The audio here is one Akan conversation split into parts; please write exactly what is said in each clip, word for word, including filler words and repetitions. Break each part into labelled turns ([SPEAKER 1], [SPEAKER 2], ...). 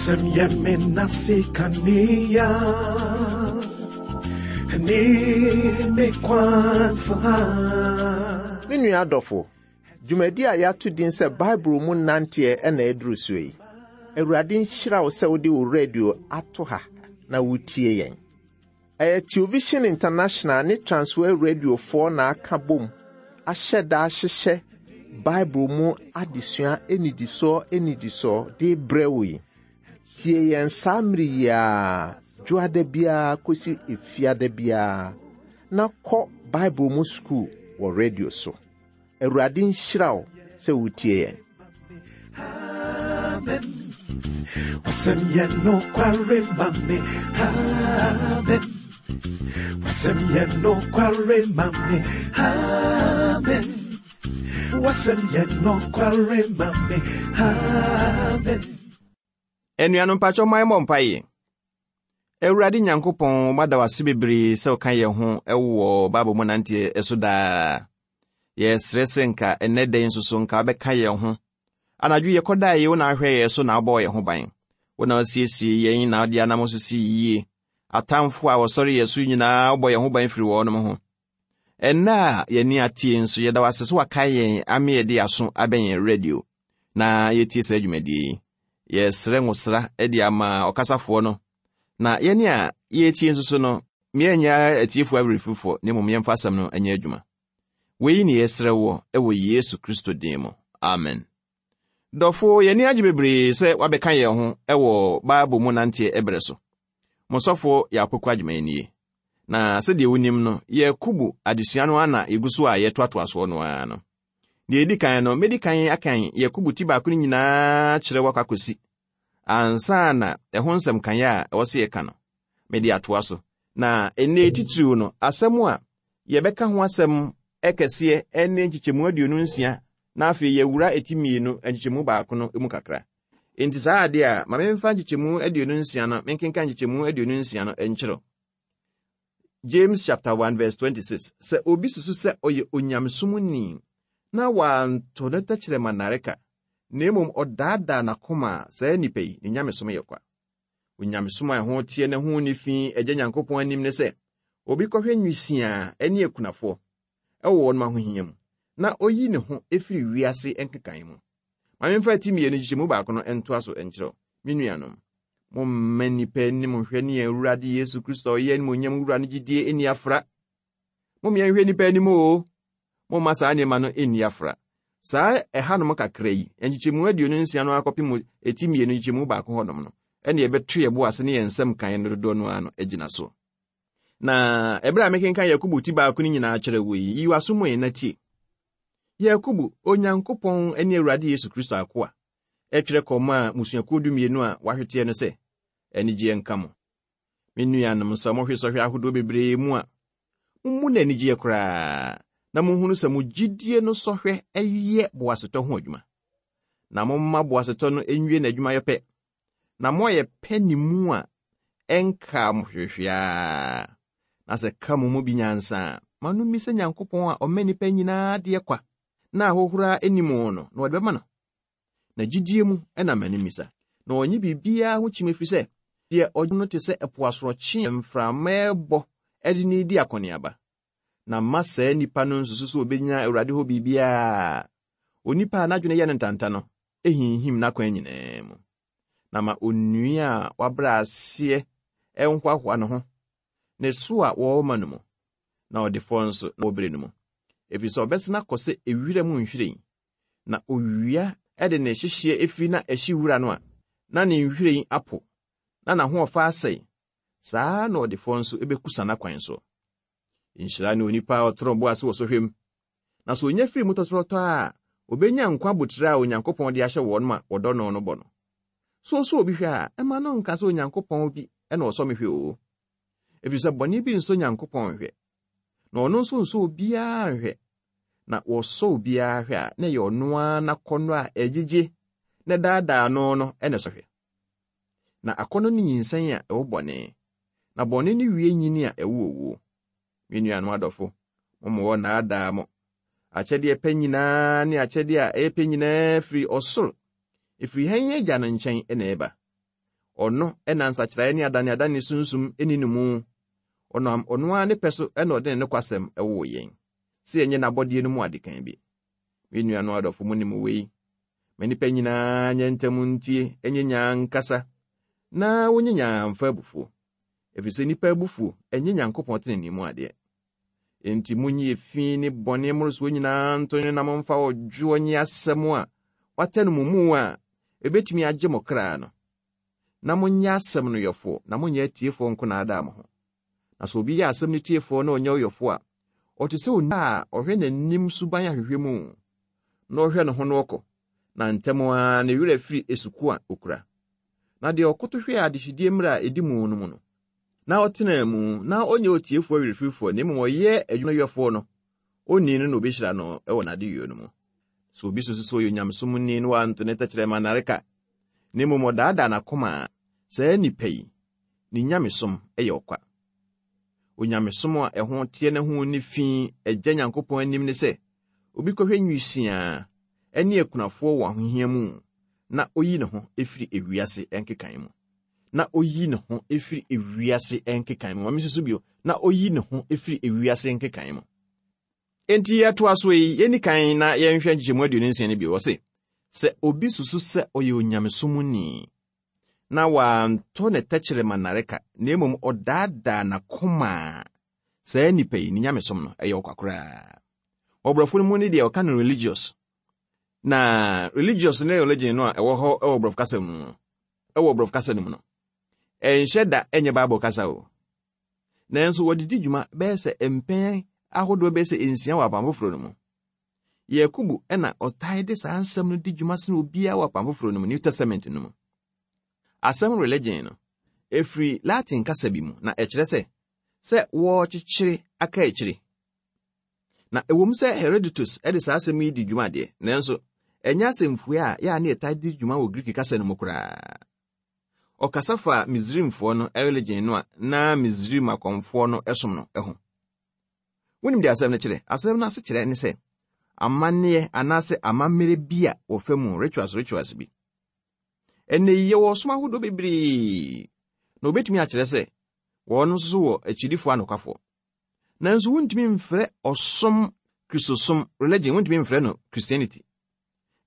[SPEAKER 1] Wasɛm yɛ me nase kanea ne me kwansa.
[SPEAKER 2] Me nua adɔfo, dwumadi a yɛato din sɛ Bible mu nanteɛ ɛna ɛduru so yi. Awurade nhyira wo sɛ wode wo radio ato ha na wotie yɛn. Ɛyɛ Television International ne Transworld Radiofoɔ na aka bom ahyɛ da ahyehyɛ Bible mu adesua anidisoɔ anidisoɔ de brɛ wo yi. Tie yɛn saa mmere yi ara, dwoada biara kɔsi efiada biara, na kɔ Bible mu sukuu wɔ radio so. Awurade nhyira wo sɛ wotie yɛn.
[SPEAKER 1] Amen. Wasɛm yɛ nokware ma me. Amen. Wasɛm yɛ nokware ma me. Amen. Wasɛm yɛ nokware ma me. Amen.
[SPEAKER 3] Anuanom mpakyɛ ma yɛmmɔ mpaeɛ. Awurade Nyankopɔn, mada wo ase bebree sɛ woka yɛn ho wɔ Bible mu nanteɛ so daa. Yɛsrɛ sɛ nka ɛnnɛ da yi nso so nka wobɛka yɛn ho. Anadwo yɛkɔdaa yi, wo na ahwɛ yɛn so na wobɔɔ yɛn ho ban. Wo na wasiesie yɛn na wode anam sisi yie. Atamfo a wɔsɔre yɛn so nyinaa wobɔ yɛn ho ban firi wɔnom ho. Ɛnnɛ a yɛni atie nso, yɛda wo ase sɛ waka yɛn ame yɛde aso abɛn yɛn radio na yɛtie saa dwumadie yi. Yɛsrɛ nwosra de ama ɔkasafoɔ no na yɛne a yɛtie nso so no, meɛnyɛ atiefoɔ awerɛfifoɔ na mmom yɛmfa asɛm no anyɛ adwuma. Wei ne yɛsrɛ wɔ ɛwɔ Yesu Kristo din mu. Amen. Dɔfo, yɛni agye bebree sɛ wabɛka yɛn ho ɛwɔ Bible mu nanteɛ ɛberɛ so. Mo sɔfo yɛ Akoko Adwuma nie. Na sɛdeɛ wonim no, Yakubu adesua no ana yɛgu so a yɛtoatoa soɔ no ara no. Deɛ ɛdi kan no, mɛdi kan akan Yakubu ti baako no nyinaa kyerɛ wakɔ akɔsi. Ansa na ɛho nsɛm kan a ɛwɔ sɛ yɛka no, mede atoa so. Na ɛnnɛ titiriw no, asɛm a yɛbɛka ho asɛm ɛkɛseɛ ne nkyekyɛmu aduonu nsia na afei yɛwura eti mmienu nkyekyɛmu baako no mu kakra. Enti saa adeɛ a, ma memfa nkyekyɛmu aduonu nsia no, menkenka nkyekyɛmu aduonu nsia no nkyerɛw. James chapter one verse twenty-six. Sɛ obi susu sɛ ɔyɛ onyamesomni na wanto ne tɛkyerɛma nnareka, na mmom ɔdaadaa n'akoma a, saa nnipa yi, ne nyamesom yɛ kwa. Onyamesom a ɛho teɛ ne ho ne fi Agya Nyankopɔn anim ne sɛ, obi kɔhwɛ nwisiaa ne akunafoɔ ɛwɔ wɔn ahohia mu, na oyi ne ho efiri wiase nkekae mu. Ma memfa ti mmienu nkyekyɛmu baako no ntoa so nkyerɛw. Me nuanom, momma nnipa anim nhwɛ ne yɛn Awurade Yesu Kristo a ɔyɛ animuonyam wura no gyidie nni afra. Momma yɛnhwɛ nnipa anim o. Momma saa nneɛma no nni afra. Saa ɛhanom kakra yi, nkyekyɛmu aduonu nsia no akɔpem eti mmienu nkyekyɛmu baako hɔnom no, ɛne yɛbɛto yɛn bo ase ne yɛn nsɛm kan no dodoɔ no ara no agyina so. Na ɛberɛ a mekenkan Yakubu ti baako no nyinaa kyerɛ wo yi, yi w'aso mu na tie. Yakubu, Onyankopɔn ne Awurade Yesu Kristo akoa, ɛtwerɛ kɔma a mmusuakuo dumienu a wɔahweteɛ no sɛ, anigyeɛ nka mo. Me nuanom, sɛ mohwe sɔhwɛ ahodoɔ bebree mu a, mommu no anigyeɛ koraa, na monhunu sɛ mo gyidie no sɔhwɛ ɛyɛ boasetɔ ho adwuma. Na momma boasetɔ no nwie n'adwumayɛ pɛ, na moayɛ pɛ ne mu a ɛnkaa mo hwehwɛa. Na sɛ ka mo mu bi nyansa a, ma no mmisa Nyankopɔn a ɔma nnipa nyinaa adeɛ kwa, na ahohora anim no, na wɔde bɛma no. Na gyidie mu ɛna ma no mmisa. Na ɔnye biribiara ho kyim ɛfiri sɛ, deɛ ɔgye no te sɛ ɛpo asorɔkye a mframa ɛbɔ ɛde ne di akɔneaba. Na mma saa nnipa no nsusu sɛ obenya Awurade hɔ biribiara. Onipa a n'adwene yɛ no ntanta no, ehinhim n'akwan nyinaa mu. Na ma onua a wabrɛ aseɛ ɛnhoahoa ne ho, ne so a wɔrema no mu, na ɔdefoɔ nso na wɔbrɛ no mu. Ɛfiri sɛ ɔbɛsena akɔ sɛ ewira mu nhwiren, na owia ɛde ne hyehyeɛ efiri na ɛhye wura no a, na ne nhwiren apo, na n'ahoɔfa asɛe. Saa na ɔdefoɔ nso ebɛkusa n'akwan so. Nhyira ne onipa a ɔtoro bo ase wɔ sɔhwɛ mu. Na sɛ onya firi mu tɔtorɔtɔ a, obenya nkwa abotire a Onyankopɔn de ahyɛ wɔn ma wɔdɔ no no bɔ no. So ɔsɔ obi hwɛ a, ɛma no nka sɛ Onyankopɔn bi ɛna ɔsɔ me hwɛ o. Ɛfiri sɛ bɔne bi nsɔ Nyankopɔn nhwɛ, na ɔno nso nsɔ obiara nhwɛ. Na wɔsɔ obiara hwɛ a, na ɛyɛ ɔno ara n'akɔnnɔ a ɛgyegye na daadaa no no ɛna ɛsɔ hwɛ. Na akɔnnɔ no nyinsɛn a ɛwɔ bɔne, na bɔne no wie nyini a ɛwɔ owuo. Me nuanom adɔfo, momma wɔnnaadaa mo. Akyɛdeɛ pɛ nyinaa ne akyɛdeɛ a ɛyɛ pɛ nyinaa firi ɔsoro, ɛfiri hann Agya no nkyɛn na ɛba. Ɔno ɛna nsakyeraeɛ ne adaneadane sunsum ɛni ne mu. Ɔnam ɔno ara ne pɛ so ɛna ɔde ne nokwasɛm ɛwoo yɛn, sɛ yɛnyɛ n'abɔdeɛ no mu adekan bi. Me nuanom adɔfo, mu nim wei. Ma nnipa nyinaa nyɛ ntɛm ntie, ɛnyɛ nyaa nkasa, na wonyɛ nyaa mfa abufuo. Ɛfiri sɛ nnipa abufuo ɛnyɛ Nyankopɔn tenenee mu adeɛ. Enti munyi efi ne bɔne mmorosoɔ nyinaa nto ne na momfa ɔdwoɔ nye asɛm a wata no mo mu a ebetumi agye mo kra no. Na monyɛ asɛm no yɔfoɔ, na monyɛ atiefoɔ nko na adaa mo ho. Na sɛ obi yɛ asɛm no tiefoɔ na ɔnyɛ ɔyɔfoɔ a, ɔte sɛ onipa a ɔhwɛ n'anim suban ahwehwɛ mu, na ɔhwɛ ne ho no ɔkɔ, na ntɛm ara ne werɛ firi esuku a okura. Na deɛ ɔkoto hwɛ adehyedie mmerɛ a edi mu no mu no, na ɔtena mu na ɔnyɛ otiefoɔ werɛfirifoɔ, na mmom ɔyɛ adwuma yɔfoɔ no, onni no na obehyira no wɔ n'adeyɔ no mu. Sɛ obi susu sɛ ɔyɛ onyamesomni na wanto ne tɛkyerɛma nnareka, na mmom ɔdaadaa n'akoma a, saa nnipa yi, ne nyamesom yɛ ɔkwa. Onyamesom a ɛho teɛ ne ho ne fi Agya Nyankopɔn anim ne sɛ, obi kɔhwɛ nwisiaa ne akunafoɔ wɔ ahohia mu, na oyi ne ho efiri ewiase nkekan mu. Na oyi ne ho efiri ewiase nkekan mu. Ma me so bio, na oyi ne ho efiri ewiase nkekan mu. Enti yɛtoa so yi, yɛnni kan na yɛnhwɛ nkyekyɛmu aduonu nsia no bio. Ɔse, sɛ obi susu sɛ ɔyɛ onyamesomni, na wanto ne tɛkyerɛma nnareka, na mmom ɔdaadaa n'akoma a, saa nnipa yi, ne nyamesom no, ɛyɛ ɔkwa koraa. Ɔborɔfo no mu ne deɛ ɔka no religious. Na religious ne religion no a ɛwɔ hɔ ɛwɔ borɔfo kasa mu no, ɛwɔ borɔfo kasa no mu no, ɛnhyɛ da ɛnyɛ Bible kasa o. Nanso wɔde di dwuma bɛyɛ sɛ mpɛn ahodoɔ bɛyɛ sɛ nsia wɔ Apam Foforɔ no mu. Yakobo ɛna ɔtae de saa nsɛm no di dwuma sene obiara wɔ Apam Foforɔ no mu, New Testament no mu. Asɛm religion no, ɛfiri Latin kasa bi mu na ɛkyerɛ sɛ sɛ wɔrekyekyere aka akyire. Na ɛwom sɛ Herodotus de saa asɛm yi di dwuma deɛ, nanso ɛnyɛ asɛmfua a yɛa ne yɛtae di dwuma wɔ Greek kasa no mu koraa. Ɔkasa fa Misraimfoɔ no religion no a na Misraim akɔmfoɔ no som no ho. Wonim deɛ asɛm no kyerɛ? Asɛm no ase kyerɛ ne sɛ amanneɛ anaasɛ amammerɛ bi a wɔfa mu, rituals rituals bi. Ɛnnɛ yi yɛwɔ ɔsom ahodoɔ bebree, na obetumi akyerɛ sɛ wɔn nso so wɔ akyidifoɔ anokwafoɔ. Nanso wontumi mfrɛ ɔsom Kristosom religion, wontumi mfrɛ no Christianity.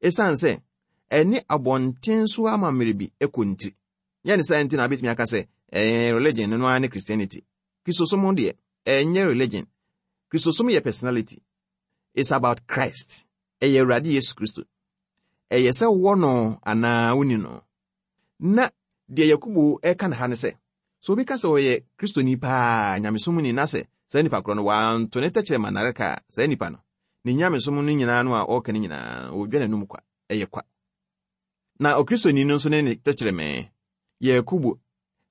[SPEAKER 3] Esiane sɛ ɛne abɔnten so amammerɛ bi kɔ nti. Nyɛ ne saa nti na abɛtumi aka sɛ ɛyɛ religion no ara ne Christianity. Kristosom deɛ, ɛnyɛ religion. Kristosom yɛ personality. It's about Christ. Ɛyɛ Awurade Yesu Kristo. Ɛyɛ sɛ wowɔ no anaa wonni no. Na deɛ Yakobo ɛka ne ha ne sɛ, sɛ obi ka sɛ ɔyɛ Kristoni paa, nyamesomni, na sɛ saa nipa korɔ no wanto ne tɛkyerɛma nnareka a, saa nipa no, ne nyamesom no nyinaa no a ɔreka no nyinaa, ɔdwa n'anum kwa, ɛyɛ kwa. Na Okristoni no nso ne ne tɛkyerɛmɛ, Yakobo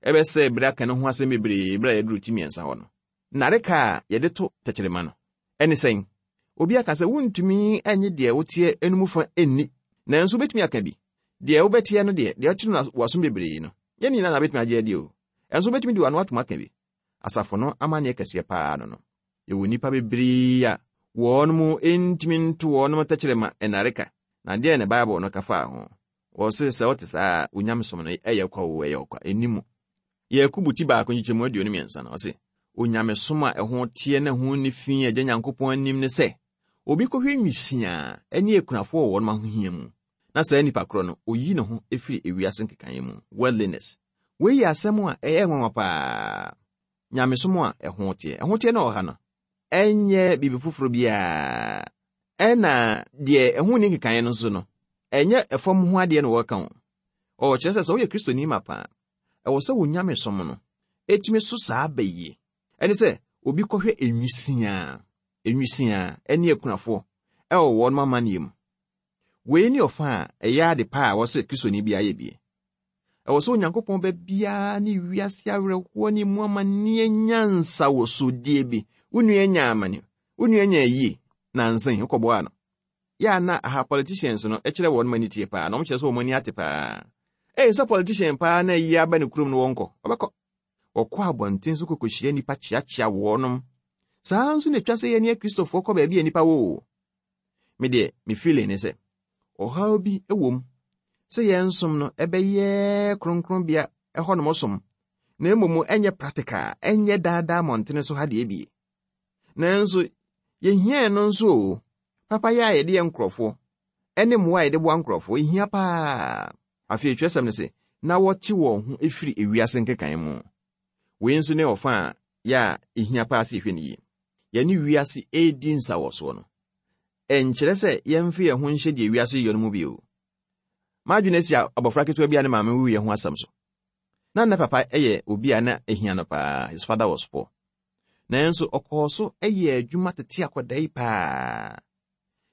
[SPEAKER 3] ɛbɛsɛ bere aka ne ho asɛm bebree bere a yɛduru ti mmiɛnsa hɔ no. Nnareka a yɛde to tɛkyerɛma no, ɛne sɛn? Obi aka sɛ wontumi nye deɛ woteɛ enum fa nni, nanso wobɛtumi aka bi. Deɛ wobɛteɛ no deɛ, deɛ ɔkyerɛ no w'asom bebree no, yɛn nyinaa na wobɛtumi agye adi o. Ɛnso wobɛtumi de w'ano atom aka bi. Asafo no amanneɛ kɛseɛ paa no no. Yɛwɔ nnipa bebree a wɔn mu ntumi nto wɔn tɛkyerɛma nnareka. Na deɛ ne Bible no ka faa ho. Wɔse sɛ wote saa a, onyamesom no ɛyɛ kwa o, ɛyɛ ɔkwa, ɛnni mu. Yakobo ti baako nkyekyɛmu aduonu mmiɛnsa no, ɔse, onyamesom a ɛho teɛ na ɛho nni fi Agya Nyankopɔn anim ne sɛ, obi kɔhwɛ nwisiaa ne akunafoɔ wɔ wɔn ahohia mu, na saa nipa korɔ no, oyi ne ho efiri ewiase nkekaeɛ mu, worldliness. Wei yɛ asɛm a ɛyɛ nwanwa paa. Nyamesom a ɛho teɛ. Ɛho teɛ na ɔha no, ɛnyɛ biribi foforɔ biara. Ɛna deɛ ɛho nni nkekaeɛ no nso no, ɛnyɛ ɛfam ho adeɛ na wɔreka ho. Ɔkyerɛ sɛ sɛ woyɛ Kristoni ma paa, ɛwɔ sɛ wo nyamesom no ɛtumi so saa ba yie. Ɛne sɛ obi kɔhwɛ enwisiaa, enwisiaa ɛne akunafoɔ ɛwɔ wɔn amanneɛ mu. Wei ne ɔfa a ɛyɛ ade pa a wɔsɛ Kristoni bi ayɛ bie. Ɛwɔ sɛ Onyankopɔn ba biara ne wiase awerɛhoɔ ne mu amanneɛ nyansa wɔ sodie bi. Wo nua nya amane, wo nua nya ayie, nansa yi wokɔboa no. Yɛ a na aha politicians no ɛkyerɛ wɔn ani tie paa, na wɔn kyerɛ sɛ wɔn ani ate paa. Ɛyɛ sɛ politician paa na ayi aba ne kurom no wɔnkɔ, ɔbɛkɔ. Wɔkɔ abɔnten so kɔkɔhyia nnipa kyeakyea wɔnom. Saa nso na etwa sɛ yɛne Akristofoɔ kɔ baabi a nnipa wɔ o. Me deɛ, me feeling ne sɛ, ɔhaw bi wɔ mu sɛ yɛn som no ɛbɛyɛ kronkronbea ɛhɔnom som, na mmom ɛnyɛ practical, ɛnyɛ daadaa mmɔntene so ha deɛ bie. Nanso yɛhia no nso o. Papa yɛ a yɛde yɛ nkurɔfoɔ, ɛne mmoa a yɛde boa nkurɔfoɔ, ɛhia paa. Afei twerɛsɛm no sɛ, na wɔte wɔn ho efiri ewiase nkekan mu. Wei nso ne ɔfa a yɛ a ɛhia paa sɛ yɛhwɛ no yie. Yɛne wiase ɛredi nsawɔsoɔ no, ɛnkyerɛ sɛ yɛmfa yɛn ho nhyɛ deɛ wiase yɛ no mu bio. M'adwene asi abɔfra ketewa bi a ne maame wuiɛ ho asɛm so. Na ne papa yɛ obi a na ehia no paa. His father was poor. Nanso ɔkɔɔ so yɛ adwuma tete akwadaa yi paa.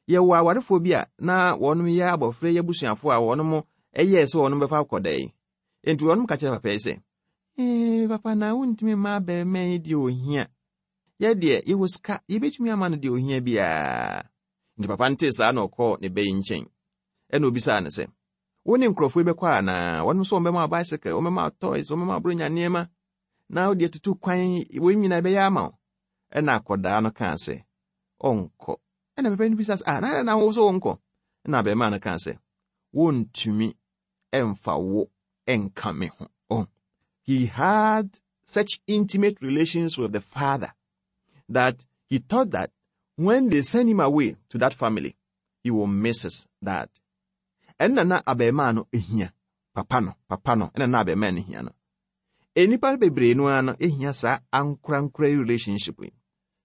[SPEAKER 3] Yɛwɔ awarefoɔ bi a na wɔnom yɛ abɔfra yi abusuafoɔ a wɔnom yɛɛ sɛ wɔnom bɛfa akwadaa yi. Enti wɔnom ka kyerɛ papa yi sɛ, ee, papa na wontumi mma abɛɛma yi deɛ ohia. Yɛ deɛ yɛwɔ sika, yɛbɛtumi ama no deɛ ohia biara. Nti papa no tee saa na ɔkɔɔ ne ba yi nkyɛn. Ɛna obisaa no sɛ, wo ne nkurɔfoɔ yi bɛkɔ anaa? Wɔnom nso wɔbɛma wo bicycle, wɔbɛma wo toys, wɔbɛma wo bronya nneɛma. Na wode atutu kwan, wɔn nyinaa bɛyɛ ama wo. Ɛna akwadaa no kaa sɛ, ɔnkɔ. Ɛna papa no bisa sɛ, ah, na na wo so wonkɔ? Ɛna abɛɛmaa no kaa sɛ, wontumi ɛmfa wo ɛnka me ho. Oh. He had such intimate relations with the father that he thought that when they send him away to that family, he will miss his dad. Ɛnna na abɛɛmaa no ehia papa no, papa no, ɛnna na abɛɛmaa no hia no. Enipa bebree no ara no ehia saa ankorankora relationship yi.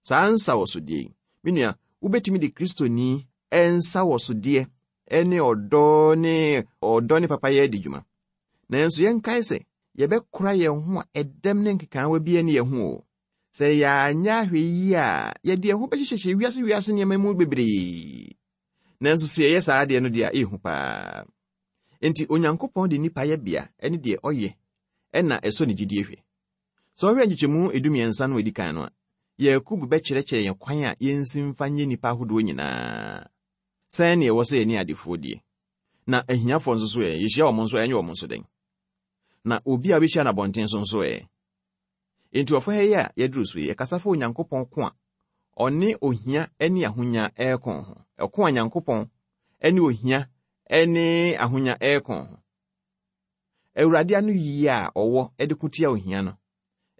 [SPEAKER 3] Saa nsawɔsodeɛ yi. Me nua, wobɛtumi de Kristoni nsawɔsodeɛ ne ɔdɔ ne ɔdɔ ne papayɛ adi dwuma. Nanso yɛnkae sɛ yɛbɛkora yɛn ho a ɛdɛm ne nkekaawa bi ne yɛn ho o. Sɛ yɛanyɛ ahwɛ yi a, yɛde yɛn ho bɛhyehyɛhyɛ wiase wiase nneɛma mu bebree. Nanso sɛ yɛyɛ saa adeɛ no deɛ a, ɛyɛ paa. Enti Onyankopɔn de nnipa yɛ bea ne deɛ ɔyɛ ɛna ɛsɔ ne gyidie hwɛ. Sɛ ɔhwɛ nkyekyɛmu edumiɛnsa no a edi kan no a, Yakubu bɛkyerɛkyerɛ yɛn kwan a yɛnsi mfa nyɛ nnipa ahodoɔ nyinaa. Sɛn ne ɛwɔ sɛ yɛne adefoɔ die. Na ahiafoɔ nso so ɛ, yɛhyia wɔn nso ɛnyɛ wɔn nso dɛn. Na obi a wobɛhyia no abɔnten so nso ɛ. Enti ɔfa ha yi a yɛduru so yi, yɛkasa fa Onyankopɔn ko a ɔne ohia ne ahonya ɛreko ho. Ɛko a Nyankopɔn ne ohia ne ahonya ɛreko ho. Awurade ano yie a ɔwɔ de ko tia ohia no,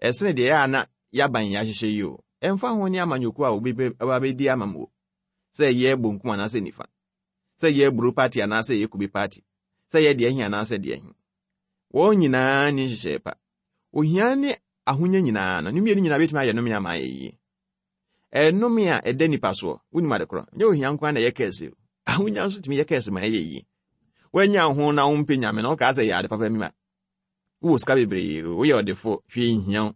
[SPEAKER 3] ɛsene deɛ ɛyɛ a na yɛaban yɛ ahyehyɛ yi o. Ɛmfa ho ne amanyɔkuo a obi bɛdi ama mo. Sɛ ɛyɛ bonkum anaasɛ nifa. Sɛ ɛyɛ aburo party anaasɛ ɛyɛ kube party. Sɛ ɛyɛ deɛ ɛhe anaasɛ deɛ ɛhe. Wɔn nyinaa ni nhyehyɛe pa. Ohia ne ahonya nyinaa no, ne mmienu nyinaa bɛtumi ayɛ nnome ama ayɛ yie. Ɛnome a ɛda nipa soɔ, wonim ade korɔ, nyɛ ohia nko ara na ɛyɛ kɛse o. Ahonya nso tumi yɛ kɛse ma ɛyɛ yie. Woanya ho na wompɛ nyame na wokaa sɛ yɛ ade papa mi ma. Wowɔ sika bebree, woyɛ ɔdefo, hwee nhia wo.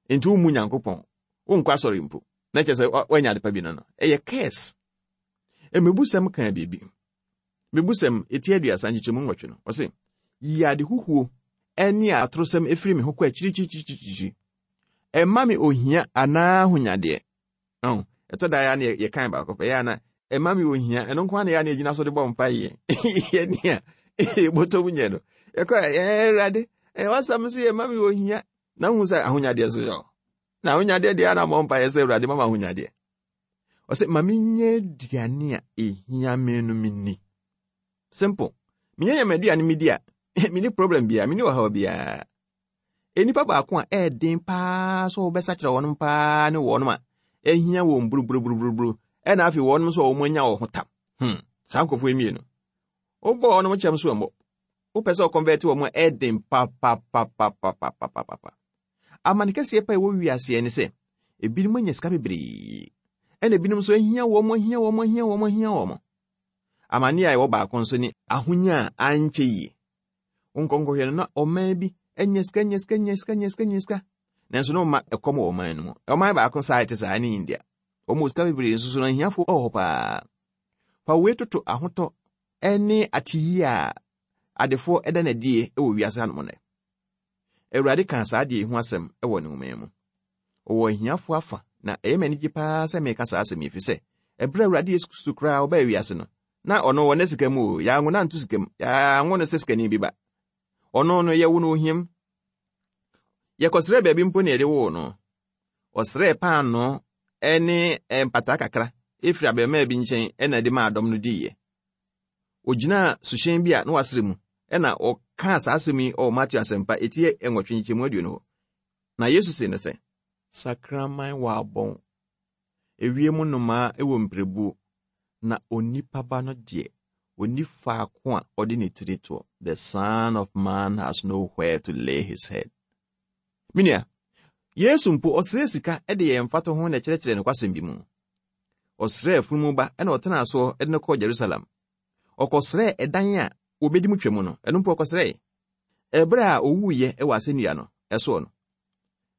[SPEAKER 3] Enti wommu Nyankopɔn, wonkɔ asɔre mpo. Na kyerɛ sɛ woanya ade pa bi no no, ɛyɛ curse. Mmebusɛm kaa biribi. Mmebusɛm eti aduasa nkyekyɛmu nwɔtwe no, ɔse, yi ade huhuo ɛne atorosɛm efiri me ho kɔ akyirikyirikyirikyiri. Ɛmma me ohia anaa ahonyadeɛ. Ɔn, ɛtɔ da ya na yɛkan baako pɛ, yɛ ana ɛmma me ohia, ɛno nko ara na yɛ ana yɛgyina so de bɔ mpaeɛ. Yɛne a yɛbɔtɔ mu nyɛ no. Yɛkɔ ɛɛ Awurade, ɛɛ wasɛm so yɛ mma me ohia. Na hu sɛ ahonyadeɛ nso yɛ Na ahonyadeɛ deɛ ana mmɔ mpaeɛ sɛ Awurade ma me ahonyadeɛ. Ɔsɛ ma menyɛ aduane a ehia me no menni. Simple. Menyɛ yɛ m'aduane medi a, menni problem biara, menni ɔhaw biara. Enipa baako a ɛɛden paa sɛ wɔbɛsakyerɛ wɔn paa ne wɔn a ɛhia wɔn buruburuburuburu ɛna afei wɔn nso a wɔn anya wɔn ho tam. Hmm, saa nkurɔfoɔ yi mmienu. Wobɔ wɔn kyɛm so mmɔ. Wopɛ sɛ ɔconvert wɔn a ɛɛden papapapapapapapa. Amane kɛseɛ pa a ɛwɔ wiaseɛ ne sɛ, ebinom anya sika bebree, ɛna ebinom nso ahia wɔn, ahia wɔn, ahia wɔn, ahia wɔn. Amane a ɛwɔ baako nso ne ahonya a ankyɛ yie. Nkɔnkɔhwɛ no na ɔman bi anya sika, anya sika, anya sika, anya sika, anya sika. Nanso na ɔma ɛkɔm wɔ ɔman no mu. Ɔman baako saa ɛte saa ne India. Wɔn wɔ sika bebree nso so no ahiafoɔ wɔ hɔ paa. Fa wei toto ahotɔ ne ateyie a adefoɔ ɛda n'adie wɔ wiase hanom nnɛ. Awurade kaa saa adeɛ yi ho asɛm wɔ ne nwoma mu. Ɔwɔ ahiafoɔ afa na ɛyɛ m'anigye paa sɛ meka saa asɛm yi ɛfiri sɛ ɛberɛ a Awurade Yesu Kristo koraa ɔbaa wiase no, na ɔno wɔ ne sika mu o, yɛanwo no anto sika mu, yɛanwo no sɛ sikani bi ba. Ɔno no yɛwo no ohiam. Yɛkɔsrɛ baabi mpo na yɛde woo no. Ɔsrɛɛ paanoo ne mpataa kakra efiri abɛɛmaa bi nkyɛn ɛna ɛde maa dɔm no diiɛ. Ogyinaa suhyɛn bi a na wasrɛ mu ɛna ɔka kaa saa asɛm yi ɔwɔ Mateo Asɛmpa eti nwɔtwe nkyɛmu aduonu hɔ. Na Yesu se no sɛ, sakraman wɔ abɔn, ewiem nnomaa wɔ mpirebuo, na onipa ba no deɛ, onni faako a ɔde ne tiri toɔ. The Son of Man has nowhere to lay his head. Menua, Yesu mpo ɔsrɛ sika de yɛn mfato ho na ɛkyerɛkyerɛ nokwasɛm bi mu. Ɔsrɛ afunumu ba ɛna ɔtenaa soɔ de no kɔɔ Jerusalem. Ɔkɔsrɛɛ ɛdan a wɔbɛdi mu twam no, ɛno mpo ɔkɔsrɛe. Ɛberɛ a owuiɛ wɔ asɛnnua no ɛsoɔ no,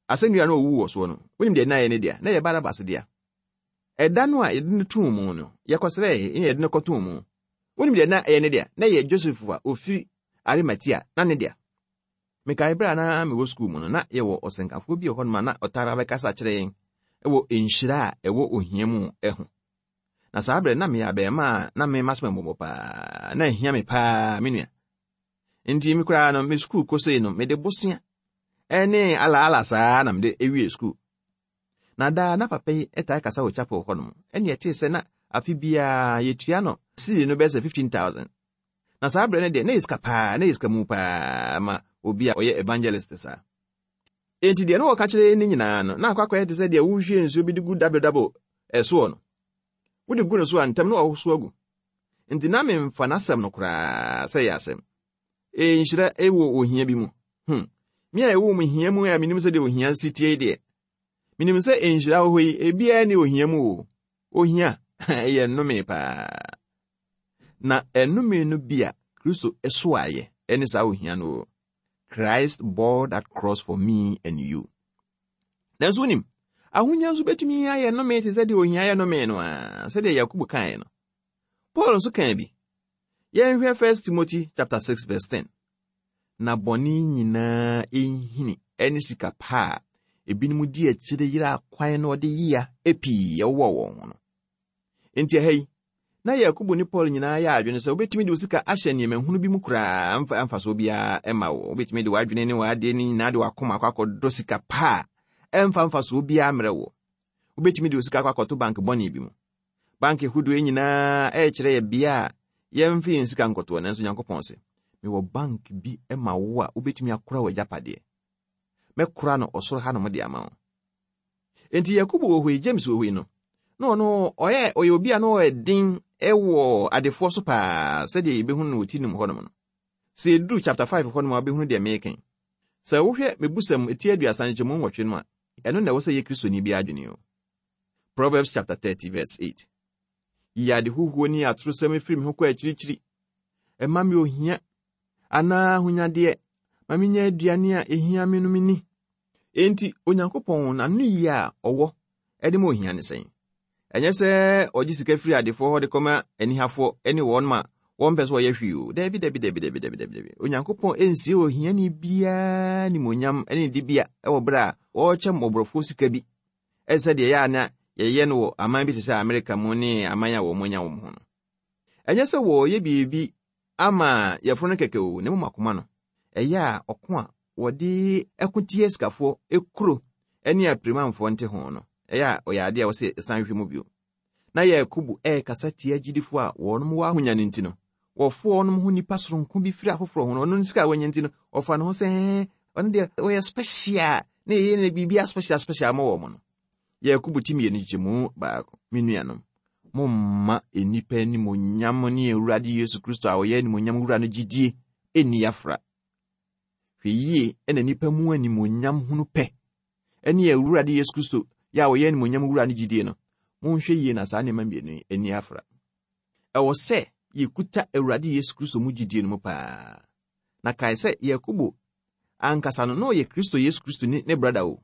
[SPEAKER 3] asɛnnua no owuu wɔ soɔ no, wonim deɛ na ɛyɛ ne dea, na ɛyɛ Barabas dea. Ɛda no a yɛde no too mu no, yɛkɔsrɛe na yɛde no kɔtoo mu. Wonim deɛ na ɛyɛ ne dea, na ɛyɛ Joseph a ofiri Arimatea na ne dea. Mekae berɛ a na mewɔ sukuu mu no, na yɛwɔ ɔsɛnkafoɔ bi wɔ hɔnom a na ɔtaa bɛkasa kyerɛ yɛn wɔ nhyira a ɛwɔ ohia mu ho. Na saa berɛ na meyɛ abɛɛma a na me masɛm mmɔbɔ paa, na ahia me paa, me nua. Nti me koraa no, me sukuu kosei no, mede bosea ɛne alaala saa na mede ewie sukuu. Na daa na papa yi taa kasa wɔ chapel hɔnom, ɛne ɛtee sɛ na afe biara yɛtua no siri no bɛyɛ sɛ fifteen thousand. Na saa berɛ no deɛ, na yɛ sika paa, na yɛ sika mu paa ma obi a ɔyɛ evangelist saa. Enti deɛ na wɔka kyerɛ ne nyinaa no, na akɔ akɔyɛ te sɛ deɛ wohwie nsuo bi de gu dabodabo ɛsoɔ no. Wode gu no so a ntɛm na wɔwoso agu. Nti na memfa n'asɛm no koraa sɛ ɛyɛ asɛm. E nhyira ɛwɔ ohia bi mu. Hmm. Me a ɛwɔ mu hia mu a menim sɛ deɛ ohia si tie deɛ. Menim sɛ nhyira wɔ hɔ yi, ebiara ne ohia mu o. Ohia, ɛyɛ nnome paa. Na ɛnnome no bi a Kristo ɛso ayɛ ɛne saa ohia no o. Christ bore that cross for me and you. Nanso wonim, ahonya nso bɛtumi ayɛ nnome te sɛ deɛ ohia yɛ nnome no a, sɛdeɛ Yakobo kaeɛ no. Paul nso kaa bi. Yɛnhwɛ First Timothy chapter six verse ten. Na bɔne nyinaa nhini ɛne sika pa a ebinom di akyire yera akwan na ɔde yia pii ɛwɔ wɔn ho no. Enti ɛha yi, na Yakobo ne Paul nyinaa yɛ adwene sɛ wobɛtumi de wo sika ahyɛ nneɛma hunu bi mu koraa mfa mfasoɔ biara ɛma wo. Wobɛtumi de w'adwene ne w'adeɛ ne nyinaa de w'akoma akɔ akɔdɔ sika pa a ɛmfa mfasoɔ biara mmerɛ wo. Wobɛtumi de wo sika akɔ akɔto bank bɔne bi mu. Bank ahodoɔ nyinaa ɛrekyerɛ yɛ bea a yɛmfa yɛn sika nkɔtoɔ, nanso Nyankopɔn sɛ, mewɔ bank bi ma wo a wobɛtumi akora w'agyapadeɛ. Mɛkora no ɔsoro hanom de ama wo. Enti Yakobo wɔ hɔ yi, James wɔ hɔ yi no, na ɔno ɔyɛ ɔyɛ obi a na ɔyɛ den ɛwɔ adefoɔ so paa sɛdeɛ yɛbɛhunu no wɔ ti num hɔnom no. Sɛ yɛduru chapter five hɔnom a wobɛhunu deɛ meeka. Sɛ wohwɛ mebusɛm eti aduasa nkyɛmu nwɔtwe no a, ɛno na ɛwɔ sɛ yɛ Kristoni bi adwene o. Proverbs chapter thirty verse eight. Yi ade huhuo ne atorosɛm firi me ho kɔ akyirikyiri. Ɛma me ohia anaa ahonyadeɛ, ma menya aduane a ehia me no menni. Enti Onyankopɔn n'ano yie a ɔwɔ ɛde ma ohia ne sɛn? Ɛnyɛ sɛ ɔgye sika firi adefoɔ hɔ de kɔma anihafoɔ ne wɔn ma wɔmpɛ sɛ wɔyɛ hwee o. Dabi, dabi, dabi, dabi, dabi, dabi, dabi. Onyankopɔn nsie ohiani biara nimonyam ne ne dibea ɛwɔ berɛ a wɔrekyɛ mmɔborɔfoɔ sika bi. Ɛsɛ deɛ ɛyɛ a na yɛyɛ no wɔ aman bi te sɛ Amerika mu ne aman a wɔn anya wɔn ho no. Ɛnyɛ sɛ wɔreyɛ biribi ama yɛforo no kɛkɛ o, na mmom akoma no. Ɛyɛ a ɔko a wɔde ɛko tia sikafoɔ ekuro ne apirimanfoɔ nte ho no, ɛyɛ a ɔyɛ adeɛ a wɔsɛ ɛsan hwɛ mu bio. Na Yakobo ɛrekasa tia agyidifoɔ a wɔn wɔ ahonya no nti no, wɔfo wɔn ho nipa soronko bi firi afoforɔ ho no, ɔno ne sika a wɔanya nti no, ɔfa ne ho sɛ ɔno deɛ ɔyɛ special na ɛyɛ ne biribi special special ma wɔn no. Yakobo ti mmienu nkyɛmu baako, me nuanom, momma nnipa animuonyam ne Awurade Yesu Kristo a ɔyɛ animuonyam wura no gyidie ɛnni afra. Hwɛ yie ɛna nnipa mu animuonyam hunu pɛ ɛne Awurade Yesu Kristo yɛ a ɔyɛ animuonyam wura no gyidie no, monhwɛ yie na saa nneɛma mmienu yi ani afra. Ɛwɔ sɛ yɛkuta Awurade Yesu Kristo mu gyidie no mu paa. Na kae sɛ Yakobo ankasa no na ɔyɛ Kristo Yesu Kristo ne ne brother o.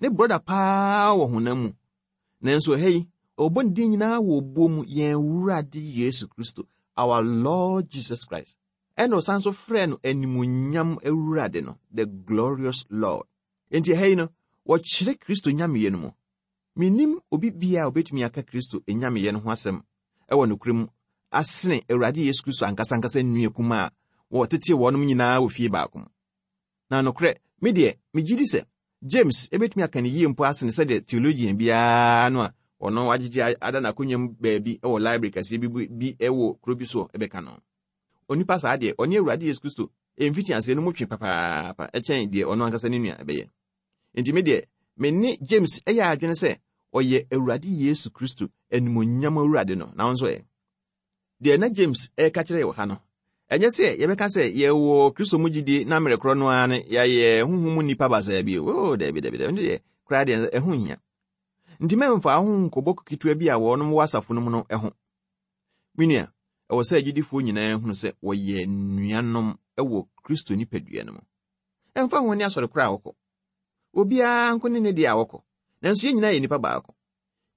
[SPEAKER 3] Ne brother paa wɔ honam mu. Nanso ɛha yi, ɔbɔ ne din nyinaa wɔ obuo mu, yɛn Awurade Yesu Kristo, our Lord Jesus Christ. Ɛna ɔsan so frɛ no animuonyam Awurade no, the glorious Lord. Enti ɛha yi no, wɔkyerɛ Kristo nyameyɛ no mu. Menim obi bia a obetumi aka Kristo nyameyɛ no ho asɛm ɛwɔ nokorɛ mu asene Awurade Yesu Kristo ankasa ankasa nnua kuma a wɔtete wɔnom nyinaa wɔ fie baako mu. Na nokorɛ, me deɛ, megye di sɛ James ebetumi aka ne yie mpo asene sɛdeɛ theologian biara no a ɔno agyegye ada n'akonnwa mu baabi wɔ library kɛseɛ bi bi wɔ kuro bi so ɛbɛka no. Onipa saa deɛ, ɔne Awurade Yesu Kristo Mfitiaseɛ no mu twe papaapa ɛkyɛn deɛ ɔno ankasa ne nua ɛbɛyɛ. Enti me deɛ, me ne James ɛyɛ adwene sɛ ɔyɛ Awurade Yesu Kristo animuonyam Awurade no, na wo nso ɛ? Deɛ na James ɛreka kyerɛ yɛ wɔ ha no, ɛnyɛ sɛ yɛbɛka sɛ yɛwɔ Kristo mu gyidie na mmerɛ korɔ no ara no yɛayɛ honhom mu nnipa basaa bi o. Oh, dabi, dabi, dabi, deɛ koraa deɛ ɛho nhia. Nti mɛmfa ho nkɔbɔ ketewa bi a wɔnom wɔ asafo no mu no ho. Me nua, ɛwɔ sɛ agyidifoɔ nyinaa hunu sɛ wɔyɛ nuanom wɔ Kristo nipadua no mu. Ɛmfa ho ne asɔre koraa a wɔkɔ. Obiara nko ne ne deɛ a wɔkɔ. Nanso yɛn nyinaa yɛ nnipa baako.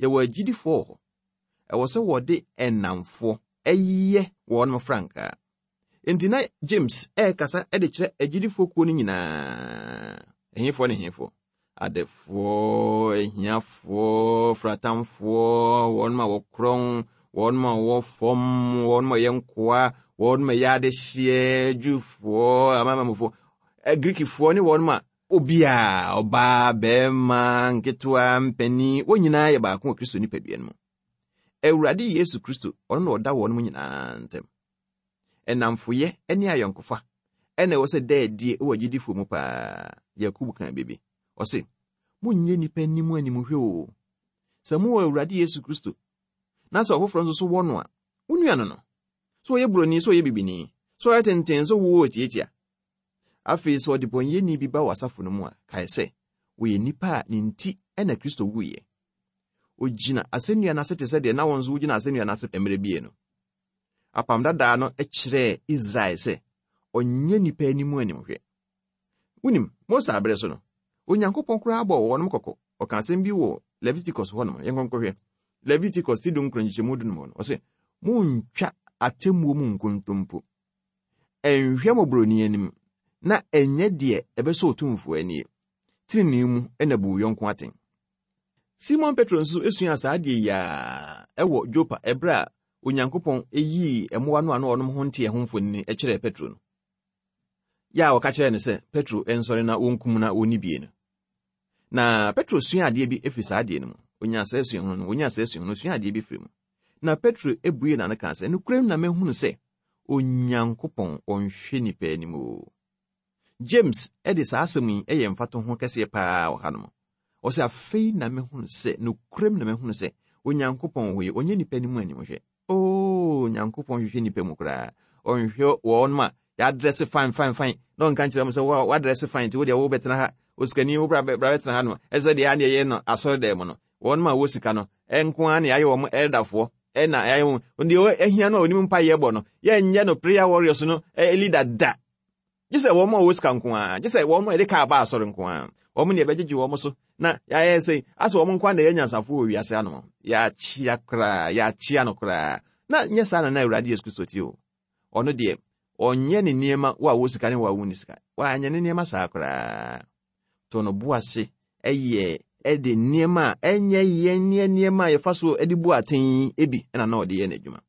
[SPEAKER 3] Yɛwɔ agyidifoɔ wɔ hɔ. Ɛwɔ sɛ wɔde ɛnamfoɔ ɛyɛ wɔn frankaa. Enti na James ɛrekasa de kyerɛ agyidifoɔ kuo no nyinaa. Ɛhefoɔ ne hefoɔ? Adefoɔ, ahiafoɔ, fratamfoɔ, wɔn a wɔkorɔn, wɔn a wɔwɔ fam, wɔn a wɔyɛ nkoa, wɔn a wɔyɛ adehyeɛ, Jewfoɔ, amanamanmufoɔ, Greekfoɔ ne wɔn a obiara, ɔbaa, bɛrima, nketewa, mpanin, wɔn nyinaa yɛ baako wɔ Kristo nipadua no mu. Awurade Yesu Kristo, ɔno na ɔda wɔn mu nyinaa ntam. Ɛnamfoyɛ ne ayɔnkofa ɛna ɛwɔ sɛ da adie wɔ agyidifoɔ mu paa. Yakubu kan biribi. Ɔse, monyɛ nnipa anim animhwɛ o. Sɛ mowɔ Awurade Yesu Kristo, na sɛ ɔfoforɔ nso so wɔ no a, wo nua no no. Sɛ ɔyɛ buroni, sɛ ɔyɛ bibini, sɛ ɔyɛ tenten, sɛ wowɔ tiatia. Afei sɛ ɔde bɔnyɛni bi ba wɔ asafo no mu a, kae sɛ, wɔyɛ nnipa a ne nti ɛna Kristo wuiɛ. Ogyina asɛnnua no ase te sɛ deɛ na wɔn nso wogyina asɛnnua no ase mmerɛ bie no. Apam dadaa no kyerɛɛ Israel sɛ ɔnyɛ nnipa anim animhwɛ. Wonim, Mose abere so no, Onyankopɔn koraa bɔɔ wɔnom kɔkɔ. Ɔka asɛm bi wɔ Leviticus hɔnom, yɛnkɔnkɔhwɛ. Leviticus ti dunkron nkyekyɛmu dunum hɔ no, ɔse, montwa atemmuo mu nkontompo. Ɛnhwɛ mmɔborɔni anim, na ɛnyɛ deɛ ɛbɛsɔ otumfoɔ ani. Tenenee mu ɛna bu wo yɔnko atɛn. Simon Petro nso esua saa adeɛ yi a ɛwɔ Jopa ɛberɛ a Onyankopɔn eyii mmoa no a na ɔnom ho nteɛ ho mfonini kyerɛɛ Petro no. Yɛ a wɔka kyerɛɛ no sɛ Petro nsɔre na wɔnkum na wɔnni bie no. Na Petro sua adeɛ bi efiri saa adeɛ no mu. Onya saa suahunu no, onya saa suahunu no, sua adeɛ bi firi mu. Na Petro ebue n'ano kaa sɛ, nokorɛm na mahunu sɛ Onyankopɔn ɔnhwɛ nnipa anim o. James ɛde saa asɛm yi ɛyɛ mfatoho kɛseɛ paa wɔ hanom. Ɔsɛ afei na mehunu sɛ, nokorɛm na mehunu sɛ Onyankopɔn wɔ yi, ɔnyɛ nnipa anim animhwɛ. Oo, Onyankopɔn hwehwɛ nnipa mu koraa. Ɔnhwɛ wɔn a yɛadrɛse fine fine fine na ɔnka nkyerɛ mo sɛ woadrɛse fine nti wo deɛ wobɛtena ha. Osikani wo bra bɛtena ha no. Ɛsɛ deɛ aneɛ yɛ no asɔre dɛm mu no. Wɔn a wɔ sika no, ɛnko ara na yɛayɛ wɔn elderfoɔ, ɛna yɛayɛ wɔn deɛ ahia no a onim mpa yɛ bɔ no, yɛnyɛ no prayer warriors no leader da. Gye sɛ wɔn a wɔ sika nko ara, gye sɛ wɔn a yɛde kaa ba asɔre nko ara. Wɔn ne yɛbɛgyegye wɔn so na yɛayɛ sɛ asɛ wɔn nko ara na yɛ nyansafo wɔ wiase ano. Yɛakyea koraa, yɛakyea no koraa. Na nyɛ saa na na Awurade Yesu Kristo te o. Ɔno deɛ, ɔnyɛ ne nneɛma wo a wɔ sika ne wo a wonni sika. Wanyɛ ne nneɛma saa koraa. To no bo ase ɛyɛ ɛde nneɛma a ɛnyɛ yɛn ne nneɛma a yɛfa so de bu atɛn ebi ɛna na ɔde yɛ n'adwuma.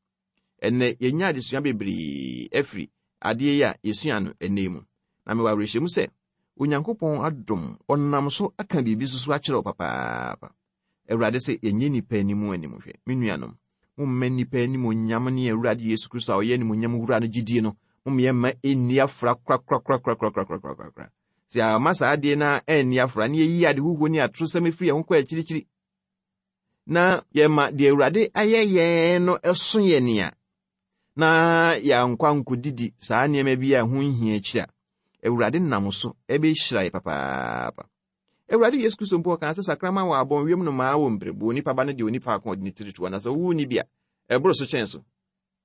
[SPEAKER 3] Ɛnnɛ yɛnya adesua bebree afiri adeɛ yi a yɛsua no ɛnnɛ mu. Na mewɔ awerɛhyɛmu sɛ Onyankopɔn adom ɔnam so aka biribi nso so akyerɛ wo papaapa. Awurade sɛ yɛnyɛ nnipa anim animhwɛ. Me nuanom, momma nnipa animuonyam ne Awurade Yesu Kristo a ɔyɛ animuonyam wura no gyidie no, momma yɛmma ɛnni afra korakorakorakorakorakorakorakora. Sɛ ama saa adeɛ no ɛnni afra ne yɛyi ade huhuo ne atorosɛm afiri yɛn ho kɔ akyirikyiri, na yɛma deɛ Awurade ayɛ yɛn no ɛso yɛn nea, na yɛankɔ ankɔdidi saa nneɛma bi a ɛho nhia akyi a, Awurade nam so ɛbɛhyira yɛ papaapa. Awurade Yesu Kristo mpo ɔkaa sɛ sakraman wɔ abɔn wiem nnomaa wɔ mprɛbuo, onipa ba no deɛ onipa ako ɔde ne tiri toɔ, na sɛ wowɔ ni bi a, ɛboro so kyɛn so.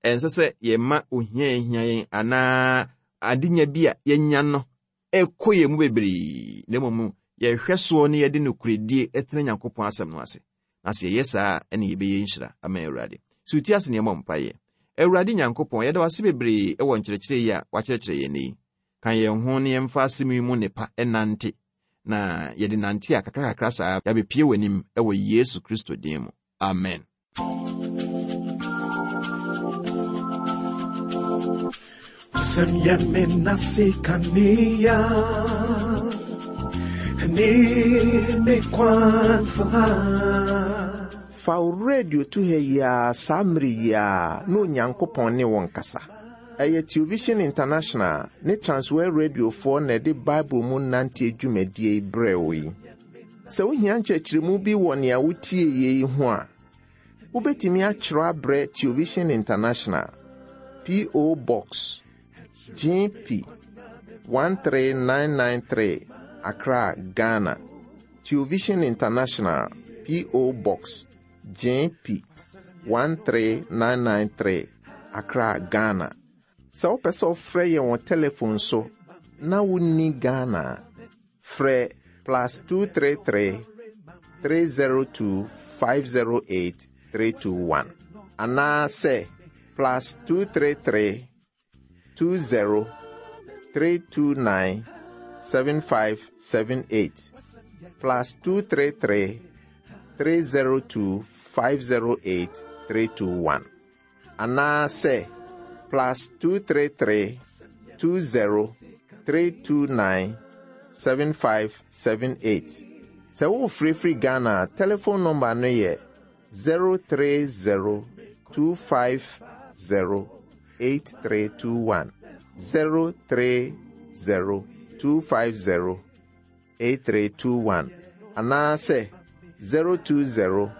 [SPEAKER 3] Ɛnsɛ sɛ yɛma ohia ahia yɛn anaa adenya bi a yɛnya no ɛkɔ yɛn mu bebree, na mmom yɛhwɛ soɔ ne yɛde nokorɛdie ɛtena Nyankopɔn asɛm no ase. Na sɛ yɛyɛ saa a, ɛne yɛbɛyɛ nhyira ama Awurade. Sɛ wotie ase ne yɛmmɔ mpaeɛ. Awurade Nyankopɔn, yɛda wo ase bebree ɛwɔ nkyerɛkyerɛ yi a wakyerɛkyerɛ yɛn yi. Ka yɛn ho ne yɛmfa asɛm yi mu nnepa ɛnante, na yɛde nante a kakra kakra saa yɛabɛpie w'anim ɛwɔ Yesu Kristo din mu. Amen.
[SPEAKER 1] Wasɛm yɛ me nase kanea, ne me kwansa.
[SPEAKER 2] Fa wo radio to ha yi ara saa mmere yi ara na Onyankopɔn ne wo nkasa. Ɛyɛ Television International ne Transworld Radiofoɔ na ɛde Bible mu nanteɛ dwumadie yi brɛ wo yi. Sɛ wohia nkyerɛkyerɛmu bi wɔ nea wotie yei ho a, wobɛtumi akyerɛ abrɛ Television International, P O. Box G P one three nine nine three, Accra, Ghana. Television International, P O. Box G P one three nine nine three, Accra, Ghana. Sɛ wopɛ sɛ wofrɛ yɛn wɔ telephone so na wonni Ghana a, frɛ plus two three three, three zero two five zero eight three two one anaasɛ plus two three three, two zero three two nine seven five seven eight, plus two three three, three zero two five zero eight three two one anaasɛ plus two three three, two zero three two nine seven five seven eight. Sɛ wofirifiri Ghana a, telephone number no yɛ zero three zero two five zero eight three two one, zero three zero two five zero eight three two one anaasɛ zero two zero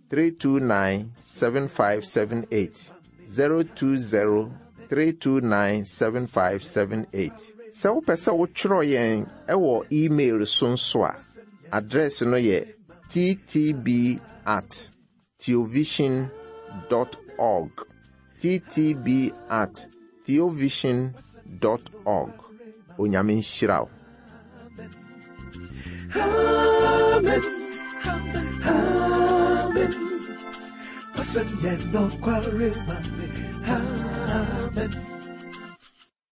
[SPEAKER 2] three two nine seven five seven eight, zero two zero three two nine seven five seven eight. Sɛ wopɛ sɛ wotwerɛ yɛn ɛwɔ email so nso a, address no yɛ T T B at theovision dot org, T T B at theovision dot org. Onyame nhyira wo.
[SPEAKER 1] Amen. Amen. W'asɛm yɛ nokware ma me. Amen.